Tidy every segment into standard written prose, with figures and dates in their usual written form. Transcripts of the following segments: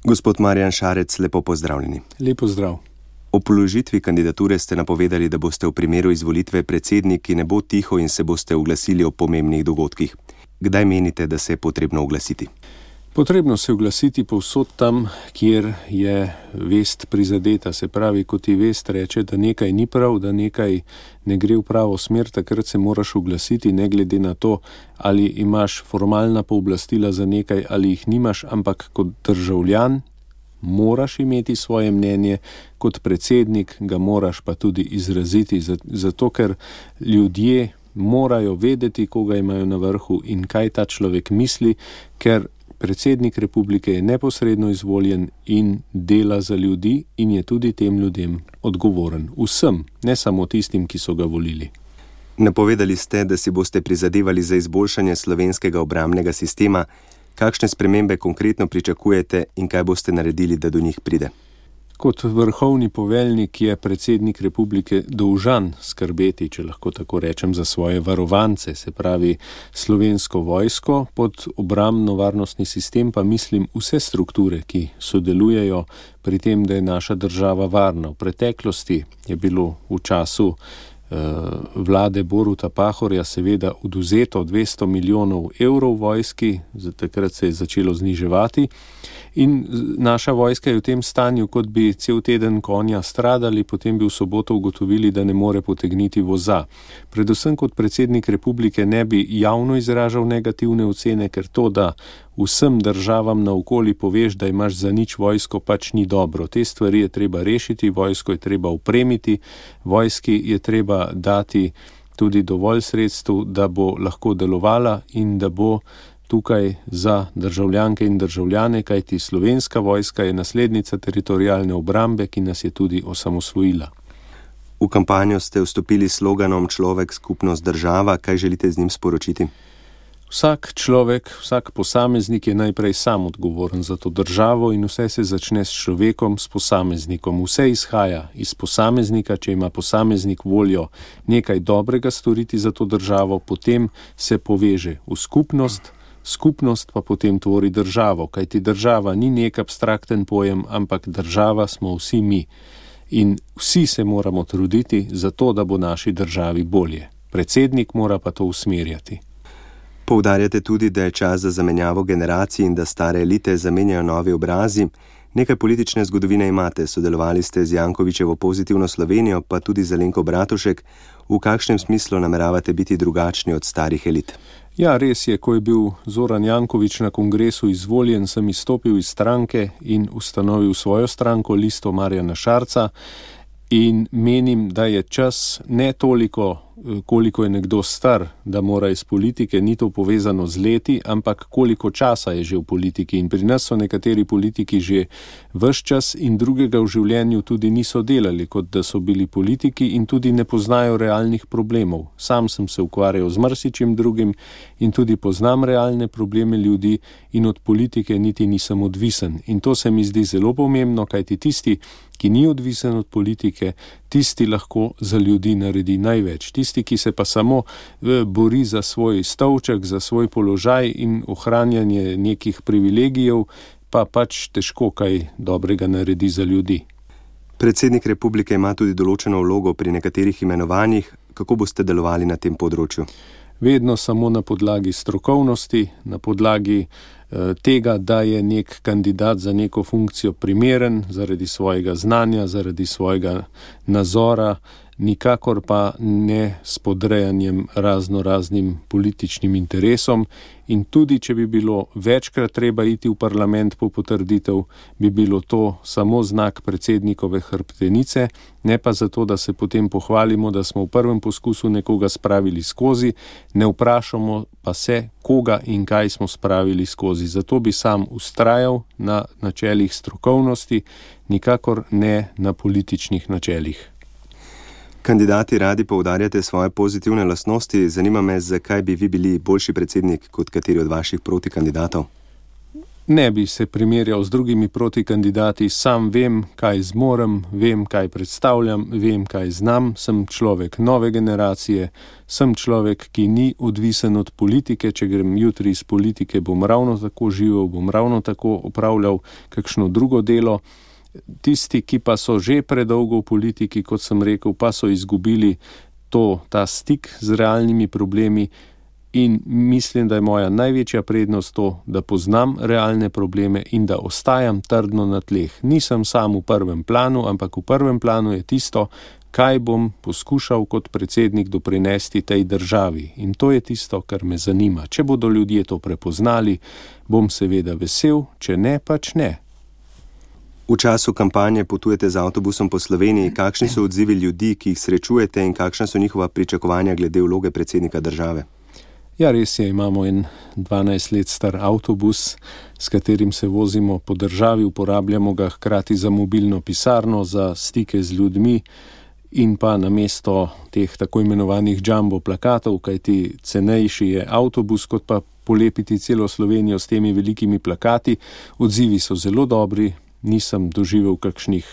Gospod Marjan Šarec, lepo pozdravljeni. Lepo zdrav. O položitvi kandidature ste napovedali, da boste v primeru izvolitve predsednik, ki ne bo tiho in se boste oglasili o pomembnih dogodkih. Kdaj menite, da se je potrebno oglasiti? Potrebno se oglasiti povsod tam, kjer je vest prizadeta. Se pravi, ko ti vest reče, da nekaj ni prav, da nekaj ne gre v pravo smer, takrat se moraš oglasiti, ne glede na to, ali imaš formalna pooblastila za nekaj ali jih nimaš, ampak kot državljan moraš imeti svoje mnenje, kot predsednik ga moraš pa tudi izraziti, zato ker ljudje morajo vedeti, koga imajo na vrhu in kaj ta človek misli, ker predsednik republike je neposredno izvoljen in dela za ljudi in je tudi tem ljudem odgovoren. Vsem, ne samo tistim, ki so ga volili. Napovedali ste, da si boste prizadevali za izboljšanje slovenskega obrambnega sistema. Kakšne spremembe konkretno pričakujete in kaj boste naredili, da do njih pride? Kot vrhovni poveljnik je predsednik republike dolžan skrbeti, če lahko tako rečem, za svoje varovance, se pravi slovensko vojsko, pod obrambno-varnostni sistem pa mislim vse strukture, ki sodelujejo pri tem, da je naša država varna. V preteklosti je bilo v času vlade Boruta Pahorja seveda odvzeto 200 milijonov evrov vojski, takrat se je začelo zniževati in naša vojska je v tem stanju, kot bi cel teden konja stradali, potem bi v soboto ugotovili, da ne more potegniti voza. Predvsem kot predsednik republike ne bi javno izražal negativne ocene, ker to, da vsem državam naokoli poveš, da imaš za nič vojsko, pač ni dobro. Te stvari je treba rešiti, vojsko je treba opremiti, vojski je treba dati tudi dovolj sredstev, da bo lahko delovala in da bo tukaj za državljanke in državljane, kajti slovenska vojska je naslednica teritorialne obrambe, ki nas je tudi osamosvojila. V kampanjo ste vstopili s sloganom Človek, skupnost, država. Kaj želite z njim sporočiti? Vsak človek, vsak posameznik je najprej sam odgovoren za to državo in vse se začne s človekom, s posameznikom. Vse izhaja iz posameznika, če ima posameznik voljo nekaj dobrega storiti za to državo, potem se poveže v skupnost, skupnost pa potem tvori državo, kajti država ni nek abstrakten pojem, ampak država smo vsi mi. In vsi se moramo truditi za to, da bo naši državi bolje. Predsednik mora pa to usmerjati. Poudarjate tudi, da je čas za zamenjavo generacij in da stare elite zamenjajo novi obrazi. Nekaj politične zgodovine imate, sodelovali ste z Jankovićevo Pozitivno Slovenijo, pa tudi z Alenko Bratušek. V kakšnem smislu nameravate biti drugačni od starih elit? Ja, res je, ko je bil Zoran Janković na kongresu izvoljen, sem izstopil iz stranke in ustanovil svojo stranko, Listo Marjana Šarca, in menim, da je čas ne toliko, koliko je nekdo star, da mora iz politike, ni to povezano z leti, ampak koliko časa je že v politiki. In pri nas so nekateri politiki že ves čas in drugega v življenju tudi niso delali, kot da so bili politiki in tudi ne poznajo realnih problemov. Sam sem se ukvarjal z marsičim drugim in tudi poznam realne probleme ljudi in od politike niti nisem odvisen. In to se mi zdi zelo pomembno, kajti tisti, ki ni odvisen od politike, tisti lahko za ljudi naredi največ. Tisti, ki se pa samo bori za svoj stolček, za svoj položaj in ohranjanje nekih privilegijev, pa pač težko kaj dobrega naredi za ljudi. Predsednik republike ima tudi določeno vlogo pri nekaterih imenovanjih. Kako boste delovali na tem področju? Vedno samo na podlagi strokovnosti, na podlagi tega, da je nek kandidat za neko funkcijo primeren zaradi svojega znanja, zaradi svojega nazora, nikakor pa ne s podrejanjem raznim političnim interesom. In tudi, če bi bilo večkrat treba iti v parlament po potrditev, bi bilo to samo znak predsednikove hrbtenice, ne pa zato, da se potem pohvalimo, da smo v prvem poskusu nekoga spravili skozi, ne vprašamo pa se, koga in kaj smo spravili skozi. Zato bi sam vztrajal na načelih strokovnosti, nikakor ne na političnih načelih. Kandidati radi poudarjate svoje pozitivne lastnosti. Zanima me, zakaj bi vi bili boljši predsednik kot kateri od vaših protikandidatov? Ne bi se primerjal z drugimi protikandidati, sam vem, kaj zmorem, vem, kaj predstavljam, vem, kaj znam, sem človek nove generacije, sem človek, ki ni odvisen od politike, če grem jutri iz politike, bom ravno tako živel, bom ravno tako opravljal kakšno drugo delo. Tisti, ki pa so že predolgo v politiki, kot sem rekel, pa so izgubili ta stik z realnimi problemi. In mislim, da je moja največja prednost to, da poznam realne probleme in da ostajam trdno na tleh. Nisem sam v prvem planu, ampak v prvem planu je tisto, kaj bom poskušal kot predsednik doprinesti tej državi. In to je tisto, kar me zanima. Če bodo ljudje to prepoznali, bom seveda vesel, če ne, pač ne. V času kampanje potujete z avtobusom po Sloveniji. Kakšni so odzivi ljudi, ki jih srečujete, in kakšna so njihova pričakovanja glede vloge predsednika države? Ja, res je, imamo en 12 let star avtobus, s katerim se vozimo po državi, uporabljamo ga hkrati za mobilno pisarno, za stike z ljudmi in pa namesto teh tako imenovanih jumbo plakatov, kajti cenejši je avtobus, kot pa polepiti celo Slovenijo s temi velikimi plakati. Odzivi so zelo dobri, nisem doživel kakšnih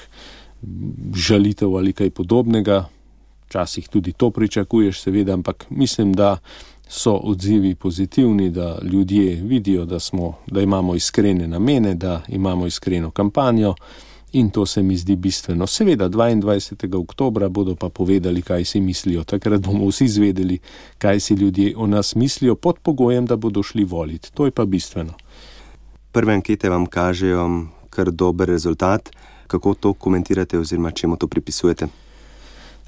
žalitev ali kaj podobnega. Včasih tudi to pričakuješ, seveda, ampak mislim, da so odzivi pozitivni, da ljudje vidijo, da imamo iskrene namene, da imamo iskreno kampanjo in to se mi zdi bistveno. Seveda, 22. oktobra bodo pa povedali, kaj si mislijo. Takrat bomo vsi zvedeli, kaj si ljudje o nas mislijo, pod pogojem, da bodo šli voliti. To je pa bistveno. Prve ankete vam kažejo kar dober rezultat. Kako to komentirate oziroma čemu to pripisujete?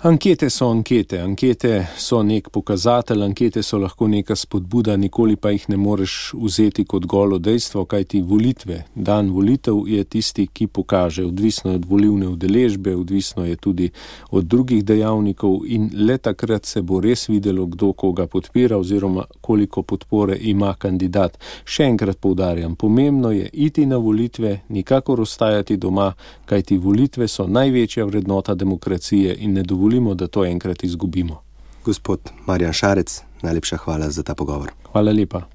Ankete so ankete. Ankete so nek pokazatelj, ankete so lahko neka spodbuda, nikoli pa jih ne moreš vzeti kot golo dejstvo, kajti volitve, dan volitev je tisti, ki pokaže. Odvisno je od volilne udeležbe, odvisno je tudi od drugih dejavnikov in le takrat se bo res videlo, kdo koga podpira oziroma koliko podpore ima kandidat. Še enkrat poudarjam, pomembno je iti na volitve, nikakor ostajati doma, kajti volitve so največja vrednota demokracije in ne dovolimo, da to enkrat izgubimo. Gospod Marjan Šarec, najlepša hvala za ta pogovor. Hvala lepa.